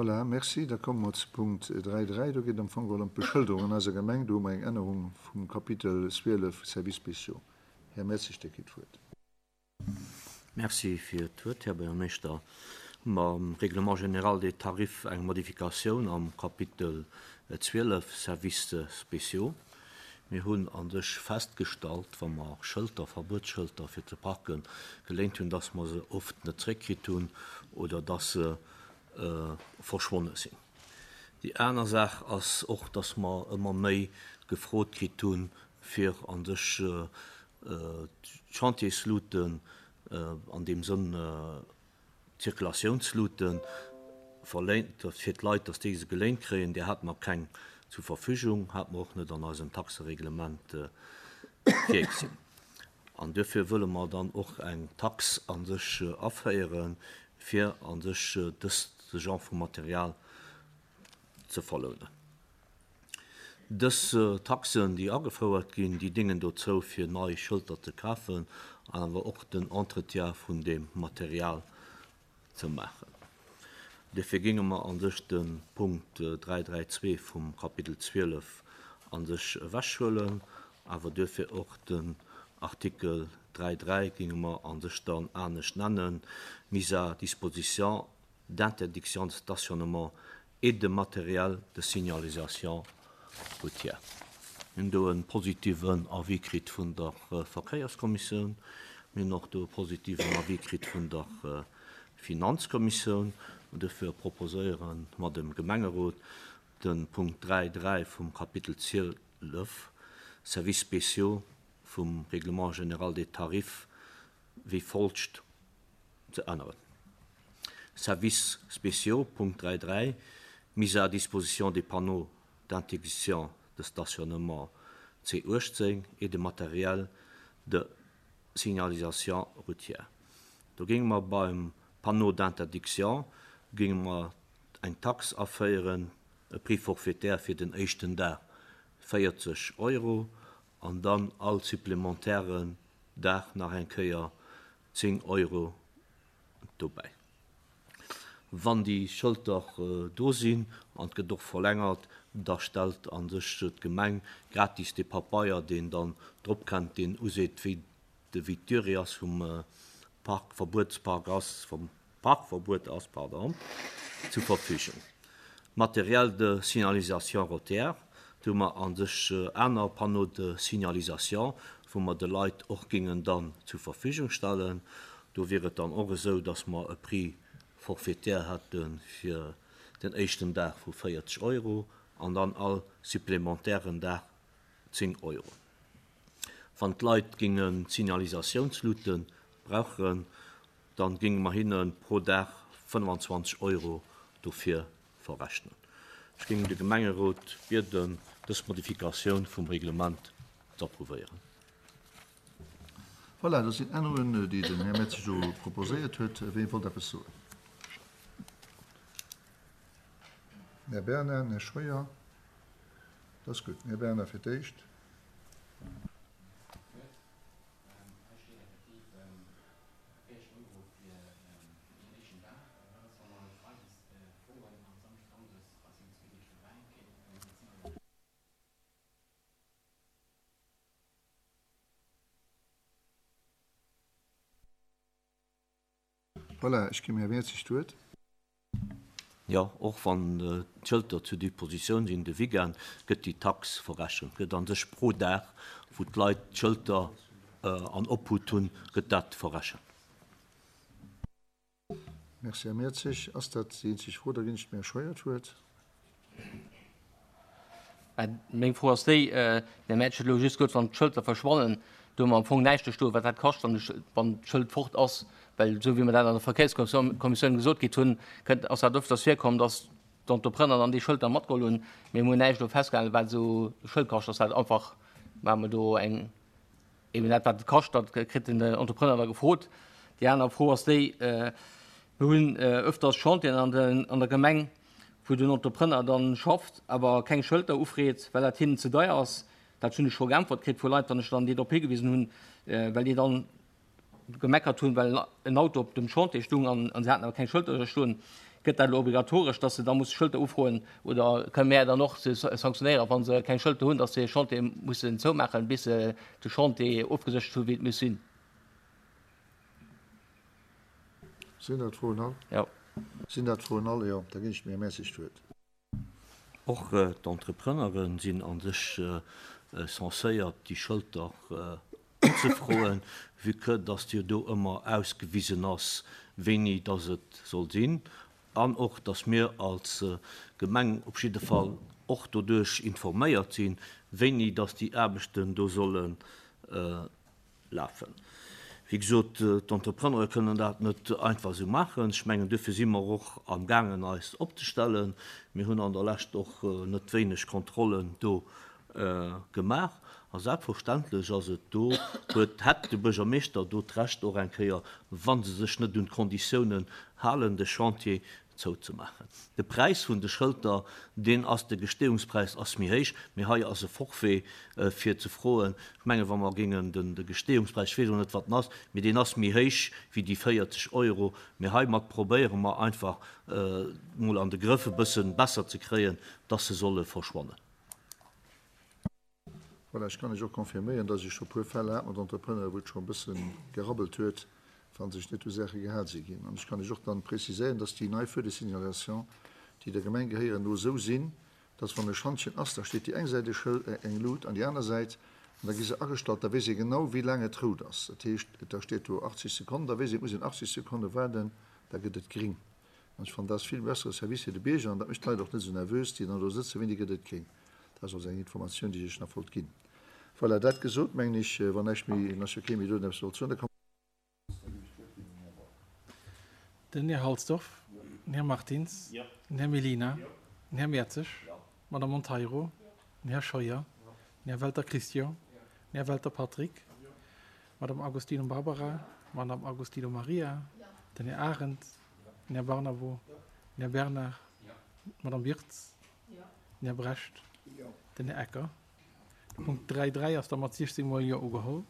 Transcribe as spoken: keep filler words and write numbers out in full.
Voilà, merci. Da komme mer zu Punkt dräi dräi. Do geet et am Fong geholl ëm d'Beschëlderung an eiser Gemeng. Do hu mer eng Ännerung vum Kapitel zwielef, Services spéciaux. Här Mertzig, Dir kritt d'Wuert. Merci fir d'Wuert, Här Buergermeeschter. Mam Règlement général des tarifs eng Modifikatioun am Kapitel zwielef, Services spéciaux. Mir hunn a sech festgestallt, wa mer Schëlter, Verbuetsschëlter fir ze parken geléint hunn, dass mer se oft net zréckkritt hunn oder dass se verschwonne sinn. Déi aner Saach ass och, dass mer ëmmer méi gefrot kritt hunn, fir a sech d'Chantiersluten, an deem Sënn d'Zirkulatiounsluten, verléint, fir d'Leit, dass déi se geléint kréien. Där hate mer keng zur Verfügung, hate mer och net an eisem Taxereglement virgesinn. An duerfir wëlle mer dann och eng Tax a sech aféieren, fir a sech dëst Genre vu Material ze verlounen. Dës Taxen, déi agefouert ginn, déi déngen dozou, fir nei Schëlter ze kafen an awer och den Entretien vun deem Material ze maachen. Duerfir géinge mer a sech de Punkt dräi dräi zwee vum Kapitel zwielef a sech ewechhuelen, awer duerfir och den Artikel dräi dräi géinge mer a sech dann anescht nennen, Mise à disposition d'interdiction de stationnement et de matériel de signalisation routière. Mir hunn do e positiven Avis kritt vun der Verkéierskommissioun. Mir hunn och do e positiven Avis kritt vun der Finanzkommissioun. An duerfir proposéiere mer dem Gemengerot, de Punkt dräi dräi vum Kapitel zwielef, Services spéciaux vum Règlement général des tarifs, wéi folgt ze änneren. Services spéciaux, Punkt dräi dräi, Mise à disposition des panneaux d'interdiction de stationnement C uechtzéng et de matériel de signalisation routière. Do géinge mer beim Panneau d'interdiction géinge mer eng Tax aféieren, e Prix forfaitaire fir den éischten Dag véierzeg Euro an dann all supplementairen Dag nach eng Kéier zéng Euro dobäi. Wann déi Schëlter do sinn an et gëtt och verlängert, da stellt a sech d'Gemeng gratis dee Papeier, deen dann drop kennt, deen useet, wéi de wéi d'Durée ass vum Parkverbuetspark ass, vum Parkverbuet ass, pardon, zur Verfügung. Matériel de signalisation routière, do hu mer a sech aner Panneaux de signalisation, wou mer de Leit och géingen dann zur Verfügung stellen. Do wier et dann och esou, dass mer e Prix forfaitaire hätte fir den éischten Dag vu véierzeg Euro an dann all supplementairen Dag zéng Euro. Wann d'Leit géinge Signalisatiounslute brauchen, dann géinge mer hinne pro Dag fënnefanzwanzeg Euro dofir verrechnen. Ech géing de Gemengerot bieden, dës Modifikatioun vum Reglement z'approuvéieren. Voilà, dat sinn Ännerungen, déi den Här Mertzig do proposéiert huet. Ween wollt eppes soen? Den Här Bernard, den Här Scheuer. Dat ass gutt. Den Här Bernard fir d'éischt. Voilà, ech ginn dem Här Mertzig d'Wuert. Jo, och wann d'Schëlter zur Dispositioun sinn de Weekend, gëtt déi Tax verrechent. Gëtt a sech pro Dag, wou d'Leit d'Schëlter an Obhut hunn, gëtt dat verrechent. Merci, Här Mertzig. Ass dat déi eenzeg Fro? Da ginn ech dem Här Scheuer d'Wuert. Meng Fro ass déi, den Här Mertzig huet elo just gesot, wann d'Schëlter verschwannen, do hu mer am Fong näischt do stoen, wat dat kascht, wann d'Schëld fort ass. Well esou wéi mer dat an der Verkéierskommissioun gesot kritt hunn, kënnt, ass dat öfters virkomm, dass d'Entrepreneur dann déi Schëlter matgeholl hunn. Mee mir hunn näischt do festgehalen, wat esou e Schëld kascht. Ass dat einfach, maache mer do eng, eben dat, wat et kascht, dat kritt den Entrepreneur da gefrot. Déi aner Fro ass déi, mir hunn öfters Chantieren an de, an der Gemeng, wou den Entrepreneur dann schafft, awer keng Schëlter ufreet, well dat hinnen ze deier ass. Dat hunn ech scho geäntwert kritt vu Leit, wann ech dann déi drop higewisen hunn, well déi dann gemeckert hunn, well en Auto op dem Chantier stung an se haten awer keng Schëlter stoen. Gëtt dat elo obligatoresch, dass se da musse Schëlter ufroen oder kënne mär dann och se sanktionéieren, wa se keng Schëlter hunn, dass se hir Chantiere mussen zoumaachen, bis se de Chantier ofgeséchert hu wéi et muss sinn? Sinn dat d'Froen all? Jo. Sinn dat d'Froen all? Jo. Da ginn ech dem Här Mertzig d'Wuert. Och d'Entrepreneure sinn a sech censéiert, déi Schëlter unzefroen, vue que dass jo do ëmmer ausgewisen ass, wéini dass et soll sinn, an och dass mir als Gemeng op jidde Fall och doduerch informéiert sinn, wéini dass déi Aarbechten do solle lafen. Wéi gesot, d'Entrepreneure kënnen dat net einfach esou maachen. Ech mengen, duerfir si mer och amgaangen, eis opzestellen. Mir hunn an der Lescht och net wéineg Kontrollen do gemaach. A selbstverständlech ass et do, huet, hätt de Buergermeeschter do d'Recht och eng Kéier, wa se sech net un d'Konditiounen halen, de Chantier zouzemaachen. De Präis vun de Schëlter, deen ass, de Gestehungspräis ass méi héich, mee hei ass e Forfait fir ze froen. Ech mengen, wa mer géingen den, de Gestehungspräis, ech weess elo net, wat en ass, mee deen ass méi héich wéi déi véierzeg Euro. Mee heimat probéiere mer einfach mol an de Grëff e bësse besser ze kréien, dass se solle verschwannen. Voilà, ech kann lech och confirméieren, dass ech scho e puer Fäll hat mat Entrepreneuren, wou et scho e bësse gerabbelt huet, wa sech net u Saache gehal si ginn. An ech kann lech och dann preziséieren, dass déi nei Feux de signalisation, déi der Gemeng gehéieren, elo esou sinn, dass wann e Schantjen ass, da steet déi eng Säit e Schëld, eng Lut an déi aner Säit, an da gi se agestallt, da weess ee genau, wéi laang et rout ass. Dat heescht, da steet do achtzeg Sekonnen, da weess ee, et muss een achtzeg Sekonne waarden, da gëtt et gring. An ech fannen, dat ass vill bessere Service fir de Bierger an dat mécht d'Leit och net esou nervös, déi dann do sëtzen, wéini gëtt et gring. Dat ass also eng Informatioun, déi ech lech nach wollt ginn. Voilà, dat gesot, mengen ech, wann näischt méi, ass jo kee méi do, deen eppes wollt soen, da komme. Den Här Halsdorf, den Här Martins, den Här Mellina, den Här Mertzig, d'Madame Monteiro, den Här Scheuer, den Här Welter Christian, den Här Welter Patrick, d'Madame Agostino Barbara, d'Madame Agostino Maria, den Här Arendt, den Här Barnabo, den Här Bernard, d'Madame Wirtz, Den Här Brecht. Den Här Ecker. De Punkt dräi dräi ass da mat siechzéng mol Jo ugeholl.